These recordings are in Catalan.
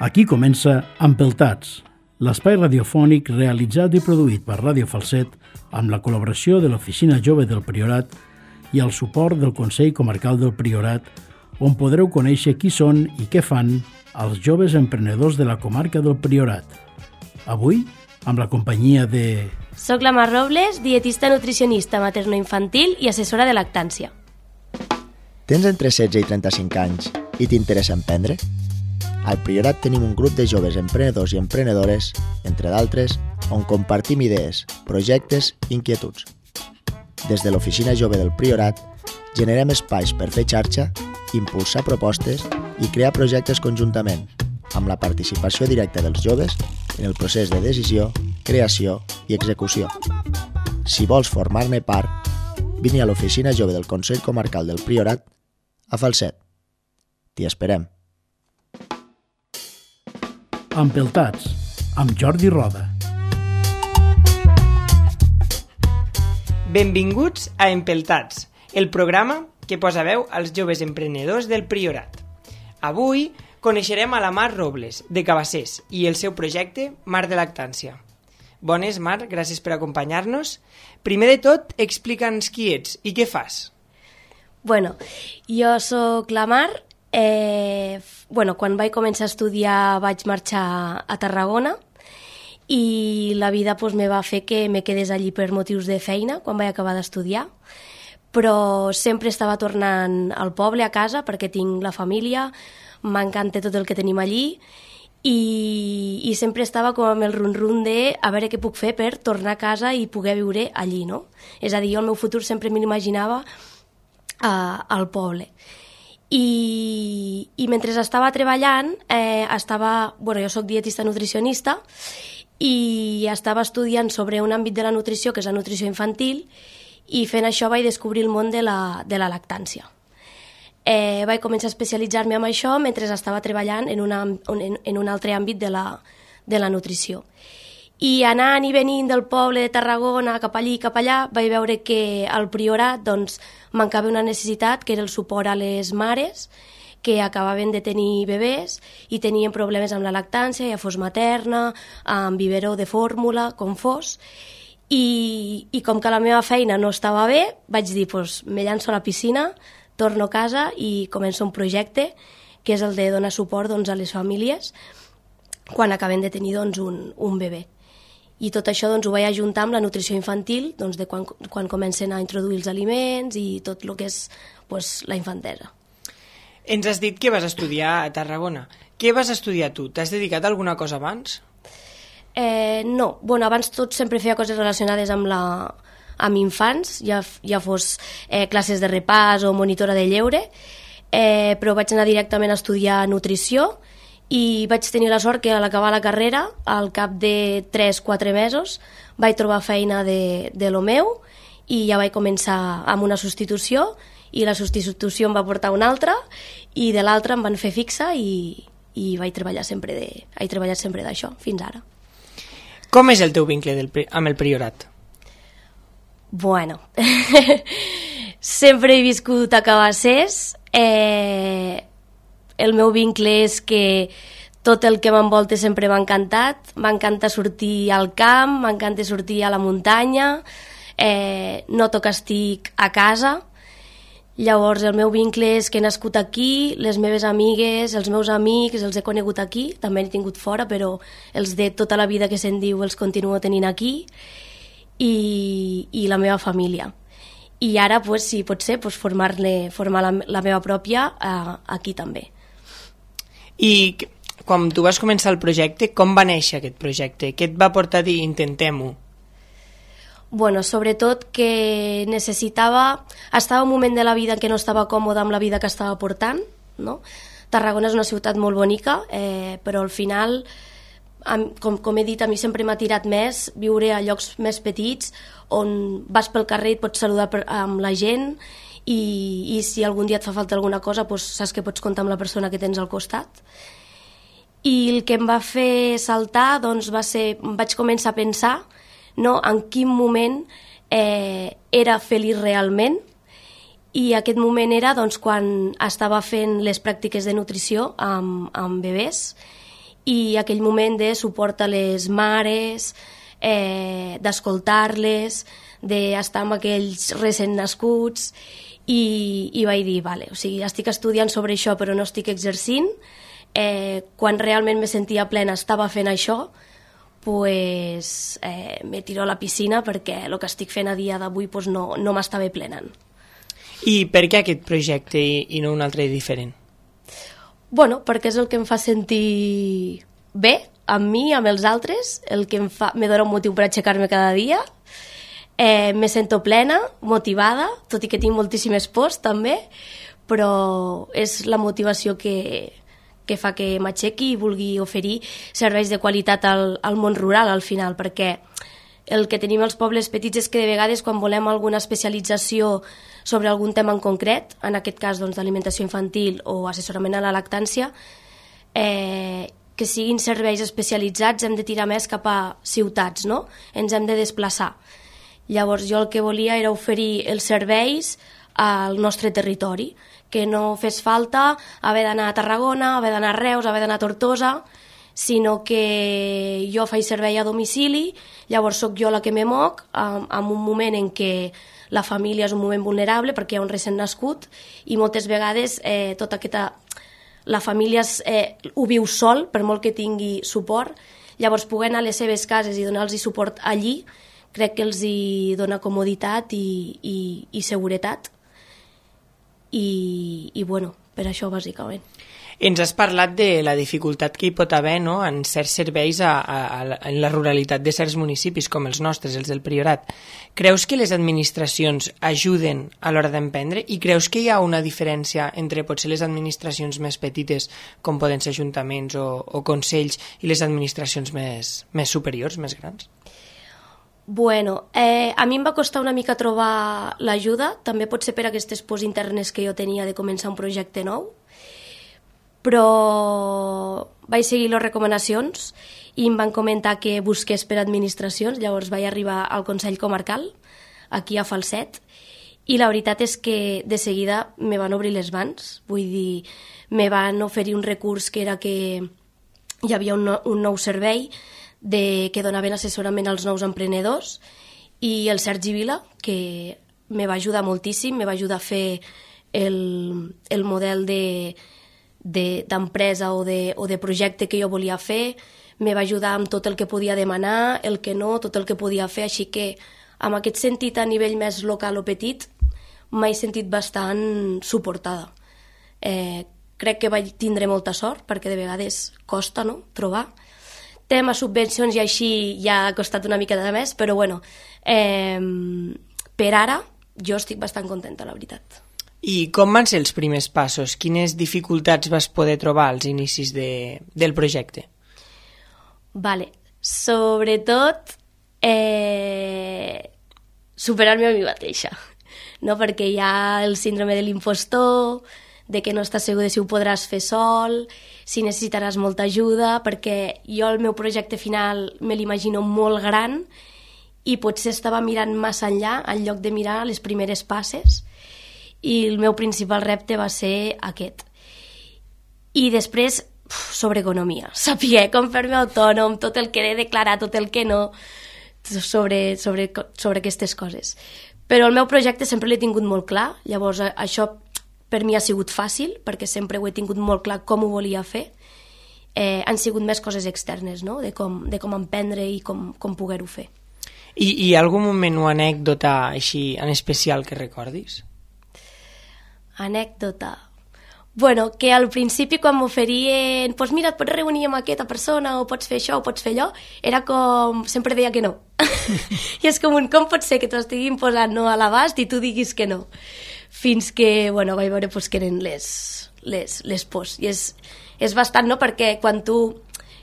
Aquí comença Empeltats, l'espai radiofònic realitzat i produït per Ràdio Falset amb la col·laboració de l'Oficina Jove del Priorat i el suport del Consell Comarcal del Priorat, on podreu conèixer qui són i què fan els joves emprenedors de la comarca del Priorat. Avui, amb la companyia de... Soc la Mar Robles, dietista nutricionista materno-infantil i assessora de lactància. Tens entre 16 i 35 anys i t'interessa emprendre? Al Priorat tenim un grup de joves emprenedors i emprenedores, entre d'altres, on compartim idees, projectes i inquietuds. Des de l'Oficina Jove del Priorat, generem espais per fer xarxa, impulsar propostes i crear projectes conjuntament, amb la participació directa dels joves en el procés de decisió, creació i execució. Si vols formar-ne part, vine a l'Oficina Jove del Consell Comarcal del Priorat a Falset. T'hi esperem. Empeltats, amb Jordi Roda. Benvinguts a Empeltats, el programa que posa veu als joves emprenedors del Priorat. Avui coneixerem a la Mar Robles, de Cabassers, i el seu projecte Mar de Lactància. Bones, Mar, gràcies per acompanyar-nos. Primer de tot, explica'ns qui ets i què fas. Bueno, jo sóc la Mar. Quan vaig començar a estudiar vaig marxar a Tarragona i la vida me va fer que me quedés allí per motius de feina quan vaig acabar d'estudiar, però sempre estava tornant al poble, a casa, perquè tinc la família, m'encanta tot el que tenim allí i sempre estava com amb el run-run de a veure què puc fer per tornar a casa i poder viure allí, no? És a dir, jo el meu futur sempre me l'imaginava al poble. I mentre estava treballant, jo soc dietista nutricionista i estava estudiant sobre un àmbit de la nutrició, que és la nutrició infantil, i fent això vaig descobrir el món de la lactància. Vaig començar a especialitzar-me en això mentre estava treballant en un altre àmbit de la nutrició. I anant i venint del poble de Tarragona cap allí i cap allà vaig veure que al Priorat mancava una necessitat, que era el suport a les mares que acabaven de tenir bebès i tenien problemes amb la lactància, ja fos materna, amb biberó de fórmula, com fos. I com que la meva feina no estava bé, vaig dir, me llanço a la piscina, torno a casa i començo un projecte que és el de donar suport a les famílies quan acaben de tenir un bebè. I tot això ho vaig ajuntar amb la nutrició infantil, de quan comencen a introduir els aliments i tot el que és la infantesa. Ens has dit que vas estudiar a Tarragona. Què vas estudiar tu? T'has dedicat a alguna cosa abans? No. Abans tot sempre feia coses relacionades amb infants, ja fos classes de repàs o monitora de lleure, però vaig anar directament a estudiar nutrició i vaig tenir la sort que a l'acabar la carrera, al cap de 3-4 mesos, vaig trobar feina de lo meu i ja vaig començar amb una substitució i la substitució em va portar una altra i de l'altra em van fer fixa i vaig treballar sempre d'això fins ara. Com és el teu vincle amb el Priorat? Bueno, sempre he viscut a Cabassers. El meu vincle és que tot el que m'envolta sempre m'ha encantat. M'encanta sortir al camp, m'encanta sortir a la muntanya, noto que estic a casa. Llavors el meu vincle és que he nascut aquí, les meves amigues, els meus amics, els he conegut aquí, també n'he tingut fora, però els de tota la vida que se'n diu els continuo tenint aquí, i la meva família. I ara, si pot ser, formar la meva pròpia aquí també. I quan tu vas començar el projecte, com va néixer aquest projecte? Què et va portar a dir intentem-ho? Sobretot que necessitava... Estava en un moment de la vida en què no estava còmode amb la vida que estava portant, no? Tarragona és una ciutat molt bonica, però al final, com he dit, a mi sempre m'ha tirat més viure a llocs més petits, on vas pel carrer i et pots saludar amb la gent i si algun dia et fa falta alguna cosa saps que pots comptar amb la persona que tens al costat. I el que em va fer saltar va ser, vaig començar a pensar en quin moment era feliç realment, i aquest moment era quan estava fent les pràctiques de nutrició amb bebès i aquell moment de suport a les mares, d'escoltar-les, d'estar amb aquells recent nascuts, i vaig dir, vale, o sigui, estic estudiant sobre això però no estic exercint, quan realment me sentia plena estava fent això, pues, me tiro a la piscina perquè el que estic fent a dia d'avui pues, no m'estava plenant. I per què aquest projecte i no un altre diferent? Bueno, perquè és el que em fa sentir bé amb mi, amb els altres, el que me dona un motiu per aixecar-me cada dia. Me sento plena, motivada, tot i que tinc moltíssimes pors també, però és la motivació que fa que m'aixequi i vulgui oferir serveis de qualitat al món rural al final, perquè el que tenim als pobles petits és que de vegades quan volem alguna especialització sobre algun tema en concret, en aquest cas doncs, d'alimentació infantil o assessorament a la lactància, que siguin serveis especialitzats hem de tirar més cap a ciutats, no? Ens hem de desplaçar. Llavors jo el que volia era oferir els serveis al nostre territori, que no fes falta haver d'anar a Tarragona, haver d'anar a Reus, haver d'anar a Tortosa, sinó que jo faig servei a domicili, llavors sóc jo la que me moc en un moment en què la família és un moment vulnerable perquè hi ha un recent nascut i moltes vegades la família ho viu sol, per molt que tingui suport, llavors poder anar a les seves cases i donar-los suport allí crec que els hi dona comoditat i seguretat i bueno, per això bàsicament. Ens has parlat de la dificultat que hi pot haver, no?, en certs serveis en la ruralitat de certs municipis com els nostres, els del Priorat. Creus que les administracions ajuden a l'hora d'emprendre i creus que hi ha una diferència entre potser les administracions més petites, com poden ser ajuntaments o consells, i les administracions més superiors, més grans? Bueno, a mi em va costar una mica trobar l'ajuda, també pot ser per aquestes pors internes que jo tenia de començar un projecte nou, però vaig seguir les recomanacions i em van comentar que busqués per administracions, llavors vaig arribar al Consell Comarcal, aquí a Falset, i la veritat és que de seguida me van obrir les mans, vull dir, me van oferir un recurs que era que hi havia un nou servei que donaven assessorament als nous emprenedors i el Sergi Vila, que me va ajudar moltíssim, me va ajudar a fer el model d'empresa o de projecte que jo volia fer, me va ajudar amb tot el que podia demanar, el que no, tot el que podia fer, així que amb aquest sentit a nivell més local o petit m'he sentit bastant suportada. Crec que vaig tindre molta sort perquè de vegades costa, no?, trobar. Tema subvencions i així ja ha costat una mica de més, però bueno, per ara jo estic bastant contenta, la veritat. I com van ser els primers passos? Quines dificultats vas poder trobar als inicis del projecte? Vale, sobretot superar-me a mi mateixa, no? Perquè hi ha el síndrome de l'impostor, de que no estàs segur de si ho podràs fer sol, si necessitaràs molta ajuda, perquè jo el meu projecte final me l'imagino molt gran i potser estava mirant massa enllà en lloc de mirar les primeres passes i el meu principal repte va ser aquest. I després, sobre economia, saber com fer-me autònom, tot el que he de declarar, tot el que no, sobre aquestes coses. Però el meu projecte sempre l'he tingut molt clar, llavors això per mi ha sigut fàcil, perquè sempre ho he tingut molt clar com ho volia fer. Han sigut més coses externes, no?, de com emprendre i com poder-ho fer. I hi ha algun moment o anècdota així en especial que recordis? Anècdota... Bueno, que al principi quan m'oferien doncs mira, et pots reunir amb aquesta persona o pots fer això o pots fer allò, era com... sempre deia que no. I és com pot ser que t'ho estiguin posant no a l'abast i tu diguis que no? Fins que, bueno, vaig veure que eren les pors. I és bastant, no?, perquè quan tu...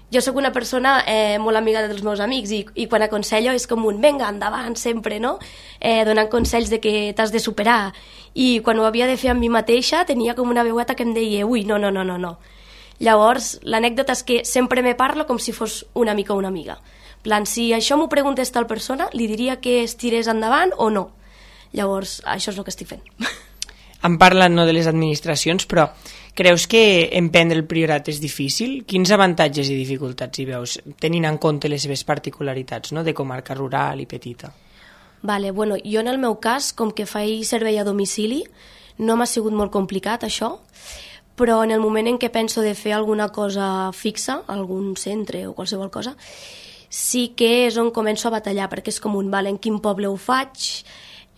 Jo sóc una persona molt amiga dels meus amics i quan aconsello és com venga, endavant, sempre, no? Donant consells de que t'has de superar. I quan ho havia de fer amb mi mateixa tenia com una veueta que em deia ui, no. Llavors, l'anècdota és que sempre me parlo com si fos un amic o una amiga. En plan, si això m'ho preguntés tal persona, li diria que es tirés endavant o no. Llavors, això és el que estic fent. Em parlen no de les administracions, però Creus que emprendre el Priorat és difícil? Quins avantatges i dificultats hi veus, tenint en compte les seves particularitats, no?, de comarca rural i petita? Vale, bueno, jo en el meu cas, com que faig servei a domicili, no m'ha sigut molt complicat això, però en el moment en què penso de fer alguna cosa fixa, algun centre o qualsevol cosa, sí que és on començo a batallar, perquè és com en quin poble ho faig,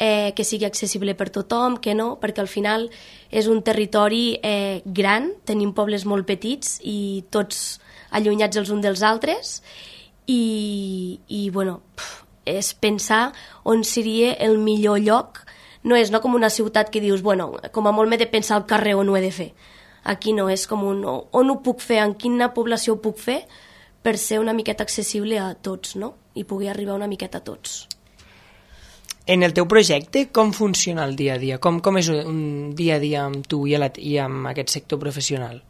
que sigui accessible per tothom, que no, perquè al final és un territori gran, tenim pobles molt petits i tots allunyats els uns dels altres, i bueno, és pensar on seria el millor lloc. No és com una ciutat que dius, bueno, com a molt m'he de pensar al carrer on ho he de fer. Aquí no, és com on ho puc fer, en quina població ho puc fer, per ser una miqueta accessible a tots, no? I pugui arribar una miqueta a tots. En el teu projecte, com funciona el dia a dia? Com és un dia a dia amb tu i amb aquest sector professional?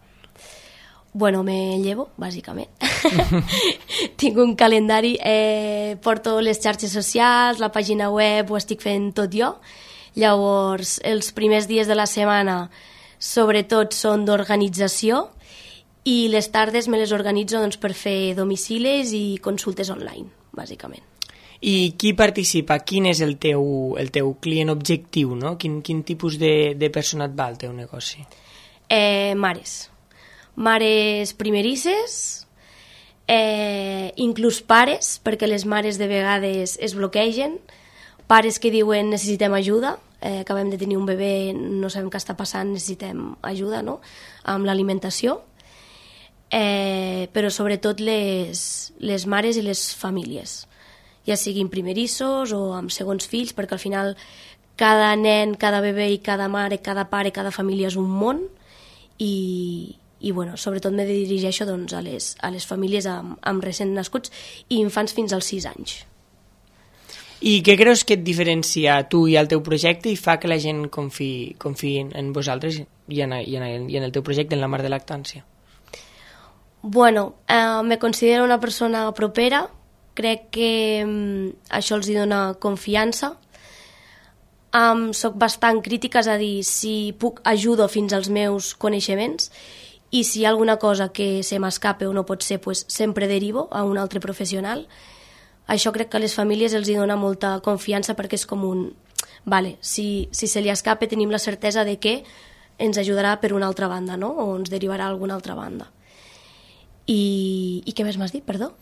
Bueno, me llevo, bàsicament. Tinc un calendari, porto les xarxes socials, la pàgina web, ho estic fent tot jo. Llavors, els primers dies de la setmana, sobretot, són d'organització, i les tardes me les organitzo per fer domicilis i consultes online, bàsicament. I qui participa? Quin és el teu client objectiu, no? Quin tipus de persona et va al teu negoci? Mares primerisses, inclús pares, perquè les mares de vegades es bloquegen, pares que diuen necessitem ajuda, acabem de tenir un bebè, no sabem què està passant, necessitem ajuda, no?, amb l'alimentació, però sobretot les mares i les famílies, ja siguin primerissos o amb segons fills, perquè al final cada nen, cada bebè i cada mare, cada pare, cada família és un món, i bueno, sobretot me dirigeixo a les famílies amb recent nascuts i infants fins als 6 anys. I què creus que et diferencia a tu i al teu projecte i fa que la gent confiï en vosaltres i en el teu projecte, en la Mar de Lactància? Bueno, me considero una persona propera, crec que això els dona confiança. Soc bastant crítica, és a dir, si puc ajudo fins als meus coneixements, i si hi ha alguna cosa que se m'escape o no pot ser, pues, sempre derivo a un altre professional. Això crec que a les famílies els dona molta confiança, perquè és com un... Vale, si se li escape tenim la certesa de que ens ajudarà per una altra banda, no?, o ens derivarà a alguna altra banda. I què més m'has dit, perdó?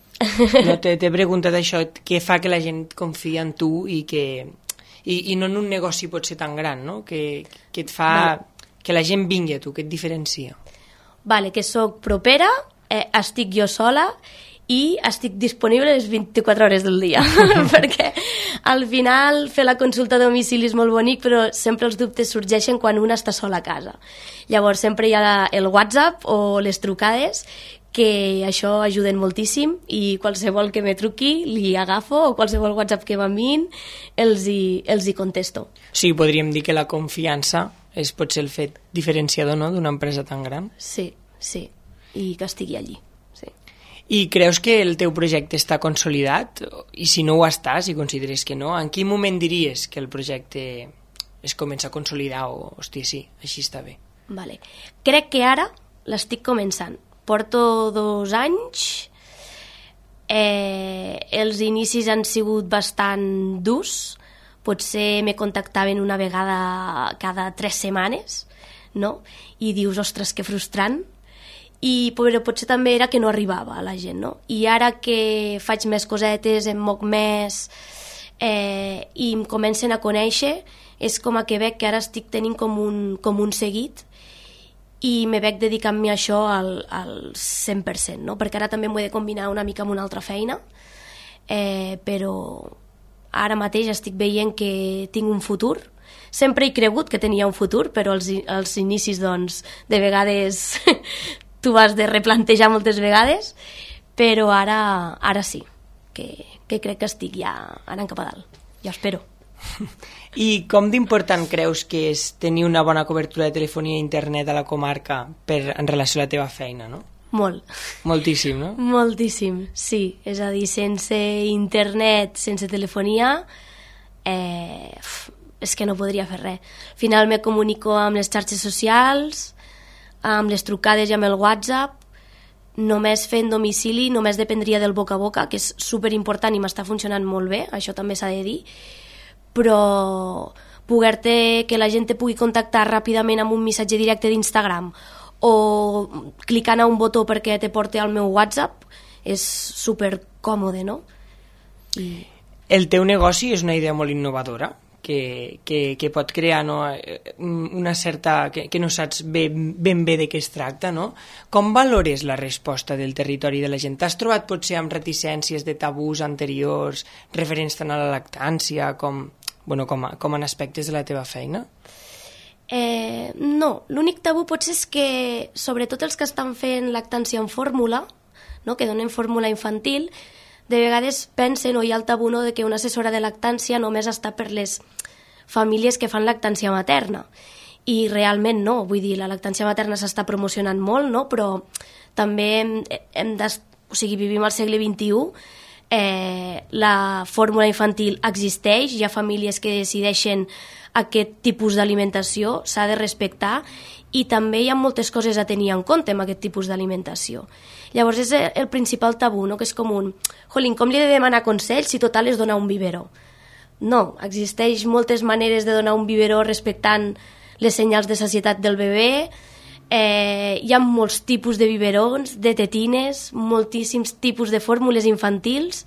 No, t'he preguntat això, què fa que la gent confia en tu i no en un negoci pot ser tan gran, no?, que et fa que la gent vingui a tu, que et diferencia. Vale, que sóc propera, estic jo sola i estic disponible les 24 hores del dia, perquè al final fer la consulta a domicili és molt bonic, però sempre els dubtes sorgeixen quan una està sola a casa. Llavors sempre hi ha el WhatsApp o les trucades, que això ajuden moltíssim, i qualsevol que me truqui li agafo, o qualsevol WhatsApp que m'enviïn els hi contesto. Sí, podríem dir que la confiança pot ser el fet diferenciador, no?, d'una empresa tan gran. Sí, i que estigui allí. Sí. I creus que el teu projecte està consolidat? I si no ho està, si consideres que no, en quin moment diries que el projecte es comença a consolidar o, hòstia, sí, així està bé? Vale. Crec que ara l'estic començant. Porto 2 anys, els inicis han sigut bastant durs, potser me contactaven una vegada cada 3 setmanes, no?, i dius, ostres, que frustrant, però potser també era que no arribava a la gent, no? I ara que faig més cosetes, em moc més i em comencen a conèixer, és com a que veig que ara estic tenint com un seguit, i me veig dedicant-me a això al 100%, no? Perquè ara també m'ho he de combinar una mica amb una altra feina, però ara mateix estic veient que tinc un futur. Sempre he cregut que tenia un futur, però als inicis, doncs, de vegades tu has de replantejar moltes vegades, però ara sí, que crec que estic ja anant cap a dalt, ja espero. I com d'important creus que és tenir una bona cobertura de telefonia i internet a la comarca en relació a la teva feina, no? Molt. Moltíssim, no? Moltíssim, sí. És a dir, sense internet, sense telefonia, és que no podria fer res. Al final me comunico amb les xarxes socials, amb les trucades i amb el WhatsApp, només fent domicili, només dependria del boca a boca, que és superimportant i m'està funcionant molt bé, això també s'ha de dir, però que la gent te pugui contactar ràpidament amb un missatge directe d'Instagram o clicant a un botó perquè te porti al meu WhatsApp és supercòmode, no? El teu negoci és una idea molt innovadora que pot crear, no, una certa... que no saps ben bé de què es tracta, no? Com valores la resposta del territori de la gent? T'has trobat potser amb reticències de tabús anteriors referents tant a la lactància com en aspectes de la teva feina? No, l'únic tabú potser és que sobretot els que estan fent lactància en fórmula, no, que donen fórmula infantil, de vegades pensen o hi ha el tabú, no, de que una assessora de lactància només està per les famílies que fan lactància materna. I realment no, vull dir, la lactància materna s'està promocionant molt, no, però també vivim al segle XXI, la fórmula infantil existeix, hi ha famílies que decideixen aquest tipus d'alimentació, s'ha de respectar i també hi ha moltes coses a tenir en compte amb aquest tipus d'alimentació. Llavors és el principal tabú, no? Que és com com li he de demanar consells si total és donar un biberó? No, existeix moltes maneres de donar un biberó respectant les senyals de sacietat del bebè, hi ha molts tipus de biberons, de tetines, moltíssims tipus de fórmules infantils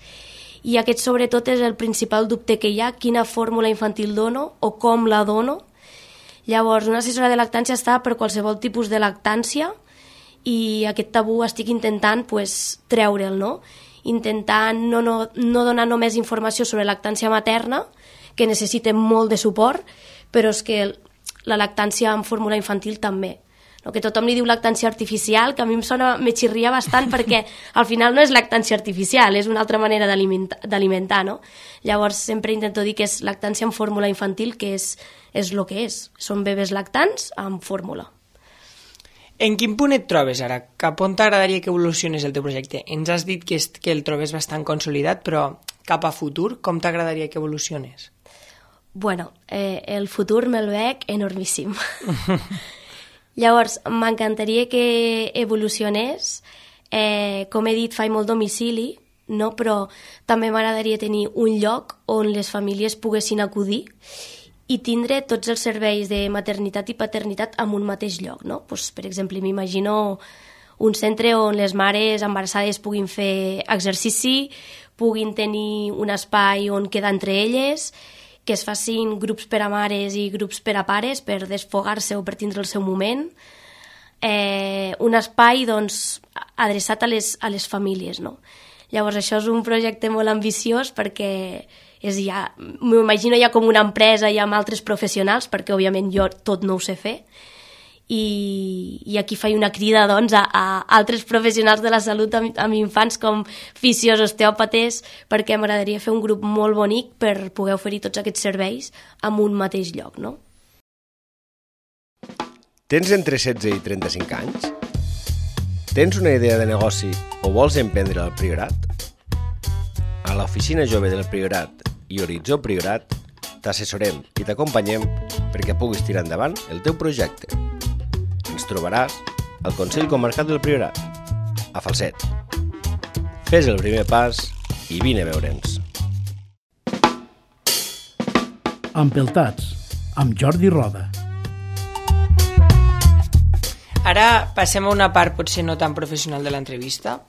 i aquest sobretot és el principal dubte que hi ha, quina fórmula infantil dono o com la dono. Llavors una assessora de lactància està per qualsevol tipus de lactància i aquest tabú estic intentant treure'l, no? Intentant no donar només informació sobre lactància materna, que necessita molt de suport, però és que la lactància en fórmula infantil també. No? Que tothom li diu lactància artificial, que a mi me xirria bastant perquè al final no és lactància artificial, és una altra manera d'alimentar, no? Llavors sempre intento dir que és lactància en fórmula infantil, que és el que és. Són bebès lactants amb fórmula. En quin punt et trobes ara? Cap on t'agradaria que evolucionés el teu projecte? Ens has dit que el trobes bastant consolidat, però cap a futur, com t'agradaria que evolucionés? Bueno, el futur me'l veig enormíssim. Llavors, m'encantaria que evolucionés. Com he dit, faig molt domicili, no? Però també m'agradaria tenir un lloc on les famílies poguessin acudir i tindre tots els serveis de maternitat i paternitat en un mateix lloc, no? Pues, per exemple, m'imagino un centre on les mares embarassades puguin fer exercici, puguin tenir un espai on quedar entre elles, que es facin grups per a mares i grups per a pares per desfogar-se o per tindre el seu moment. Un espai, doncs, adreçat a les famílies, no? Llavors, això és un projecte molt ambiciós perquè m'ho imagino ja com una empresa i amb altres professionals, perquè òbviament jo tot no ho sé fer, i aquí faig una crida doncs, a altres professionals de la salut amb infants com fisios, osteòpates, perquè m'agradaria fer un grup molt bonic per poder oferir tots aquests serveis en un mateix lloc, no? Tens entre 16 i 35 anys? Tens una idea de negoci o vols emprendre al Priorat? A l'Oficina Jove del Priorat i Horitzó Priorat t'assessorem i t'acompanyem perquè puguis tirar endavant el teu projecte. Ens trobaràs al Consell Comarcal del Priorat, a Falset. Fes el primer pas i vine a veure'ns. Empeltats, amb Jordi Roda. Ara passem a una part potser no tan professional de l'entrevista,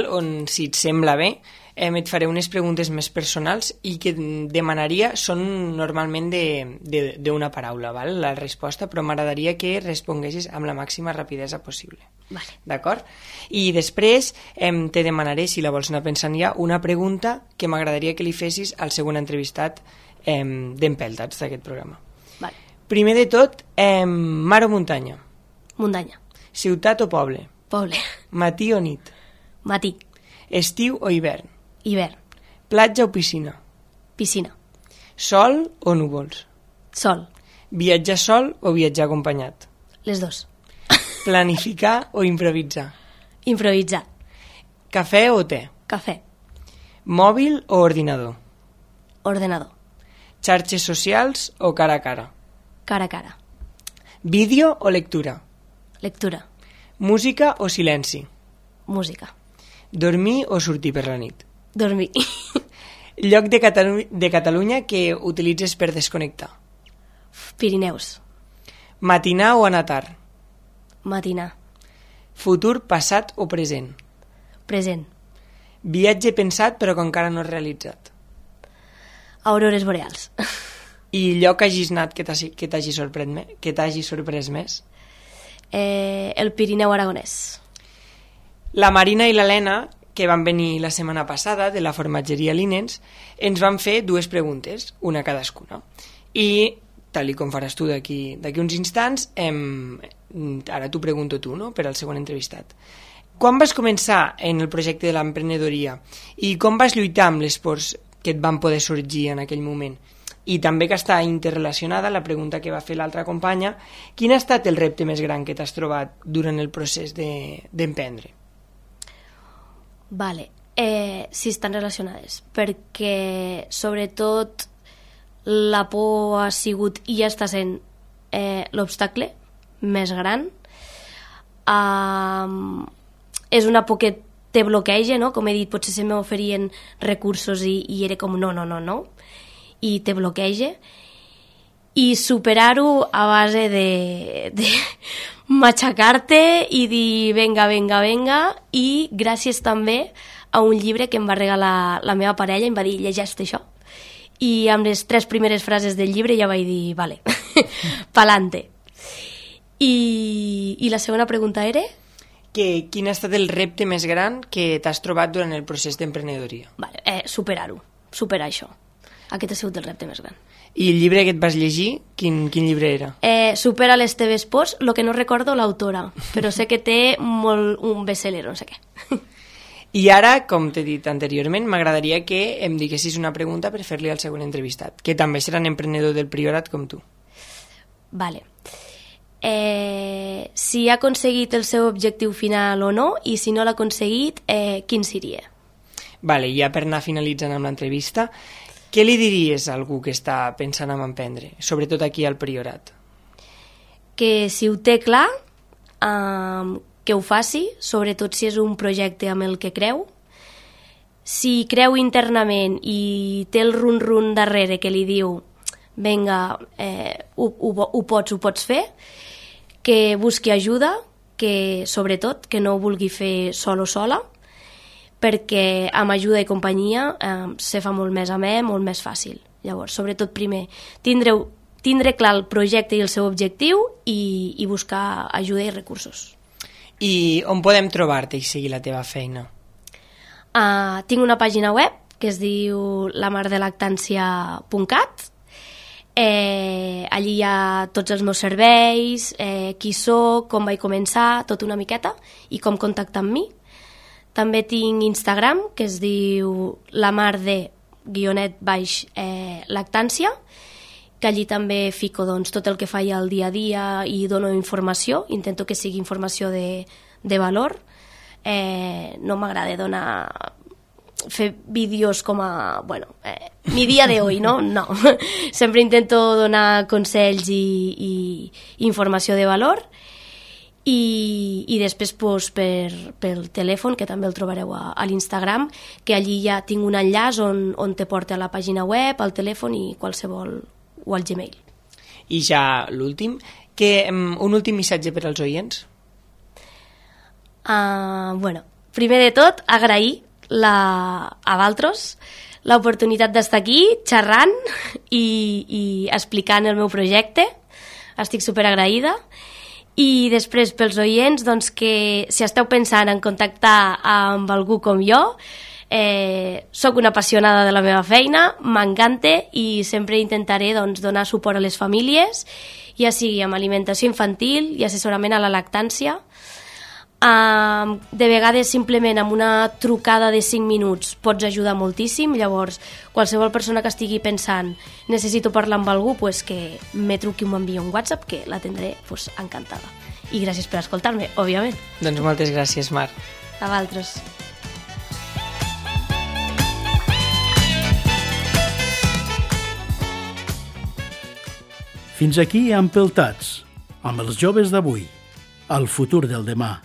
on, si et sembla bé, et faré unes preguntes més personals i que demanaria són normalment d'una paraula, la resposta, però m'agradaria que responguessis amb la màxima rapidesa possible. Vale. D'acord? I després te demanaré, si la vols anar pensant ja, una pregunta que m'agradaria que li fessis al següent entrevistat d'Empeltats d'aquest programa. Vale. Primer de tot, mar o muntanya? Muntanya. Ciutat o poble? Poble. Matí o nit? Matí. Estiu o hivern? Hivern. Platja o piscina? Piscina. Sol o núvols? Sol. Viatjar sol o viatjar acompanyat? Les dos. Planificar o improvisar? Improvisar. Cafè o te? Cafè. Mòbil o ordinador? Ordenador. Xarxes socials o cara a cara? Cara a cara. Vídeo o lectura? Lectura. Música o silenci? Música. Dormir o sortir per la nit? Dormir. Lloc de Catalunya que utilitzes per desconnectar? Pirineus. Matinar o anar tard? Matinar. Futur, passat o present? Present. Viatge pensat però que encara no realitzat? Aurores boreals. I lloc que hagis anat que t'hagi sorprès més? El Pirineu aragonès. La Marina i l'Helena, que van venir la setmana passada de la formatgeria Linens, ens van fer 2 preguntes, una cadascuna. I, tal com faràs tu d'aquí uns instants, ara t'ho pregunto tu, no?, per al segon entrevistat. Quan vas començar en el projecte de l'emprenedoria i com vas lluitar amb les pors que et van poder sorgir en aquell moment? I també que està interrelacionada la pregunta que va fer l'altra companya, quin ha estat el repte més gran que t'has trobat durant el procés d'emprendre? Vale, sí, estan relacionades, perquè sobretot la por ha sigut i ja està sent l'obstacle més gran. És una por que te bloqueja, no? Com he dit, potser se m'oferien recursos i era com no, i te bloqueja. I superar-ho a base de matxacar-te i dir venga, i gràcies també a un llibre que em va regalar la meva parella, em va dir llegeix això, i amb les 3 primeres frases del llibre ja vaig dir vale, pa'lante. I la segona pregunta era? Quin ha estat el repte més gran que t'has trobat durant el procés d'emprenedoria? Vale, superar això. Aquest ha sigut el repte més gran. I el llibre que et vas llegir, quin llibre era? Supera les teves pors, lo que no recordo l'autora, però sé que té un best-seller, no sé què. I ara, com t'he dit anteriorment, m'agradaria que em diguessis una pregunta per fer-li al segon entrevistat, que també serà un emprenedor del Priorat com tu. Vale. Si ha aconseguit el seu objectiu final o no, i si no l'ha aconseguit, quin seria? Vale, ja per anar finalitzant amb l'entrevista, què li diries a algú que està pensant en emprendre, sobretot aquí al Priorat? Que si ho té clar, que ho faci, sobretot si és un projecte amb el que creu. Si creu internament i té el run-run darrere que li diu vinga, ho pots fer, que busqui ajuda, que sobretot que no ho vulgui fer sol o sola, perquè amb ajuda i companyia se fa molt més amè, molt més fàcil. Llavors, sobretot primer, tindre clar el projecte i el seu objectiu i buscar ajuda i recursos. I on podem trobar-te i seguir la teva feina? Tinc una pàgina web que es diu lamardelactancia.cat. Allí hi ha tots els meus serveis, qui soc, com vaig començar, tot una miqueta, i com contactar amb mi. També tinc Instagram, que es diu lamar_lactància, que allí també fico tot el que faig al dia a dia i dono informació, intento que sigui informació de valor. No m'agrada fer vídeos com a, mi dia de hoy, no? No. Sempre intento donar consells i informació de valor. I després pel telèfon, que també el trobareu a l'Instagram, que allí ja tinc un enllaç on te porta a la pàgina web, al telèfon i qualsevol, o al Gmail. I ja l'últim, un últim missatge per als oients? Primer de tot, agrair a Valtros l'oportunitat d'estar aquí xerrant i explicant el meu projecte. Estic superagraïda. I després, pels oients, que si esteu pensant en contactar amb algú com jo, soc una apassionada de la meva feina, m'encanta i sempre intentaré donar suport a les famílies, ja sigui amb alimentació infantil i assessorament a la lactància. De vegades simplement amb una trucada de 5 minuts pots ajudar moltíssim. Llavors qualsevol persona que estigui pensant necessito parlar amb algú, que me truqui o m'enviï un WhatsApp, que l'atendré encantada. I gràcies per escoltar-me, òbviament. Doncs moltes gràcies, Mar. A vosaltres. Fins aquí Empeltats, amb els joves d'avui. El futur del demà.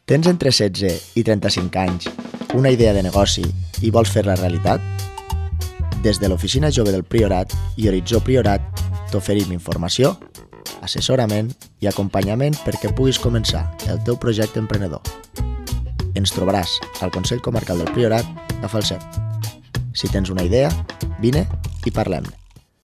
Tens entre 16 i 35 anys una idea de negoci i vols fer-la realitat? Des de l'Oficina Jove del Priorat i Horitzó Priorat t'oferim informació, assessorament i acompanyament perquè puguis començar el teu projecte emprenedor. Ens trobaràs al Consell Comarcal del Priorat a Falset. Si tens una idea, vine i parlem-ne.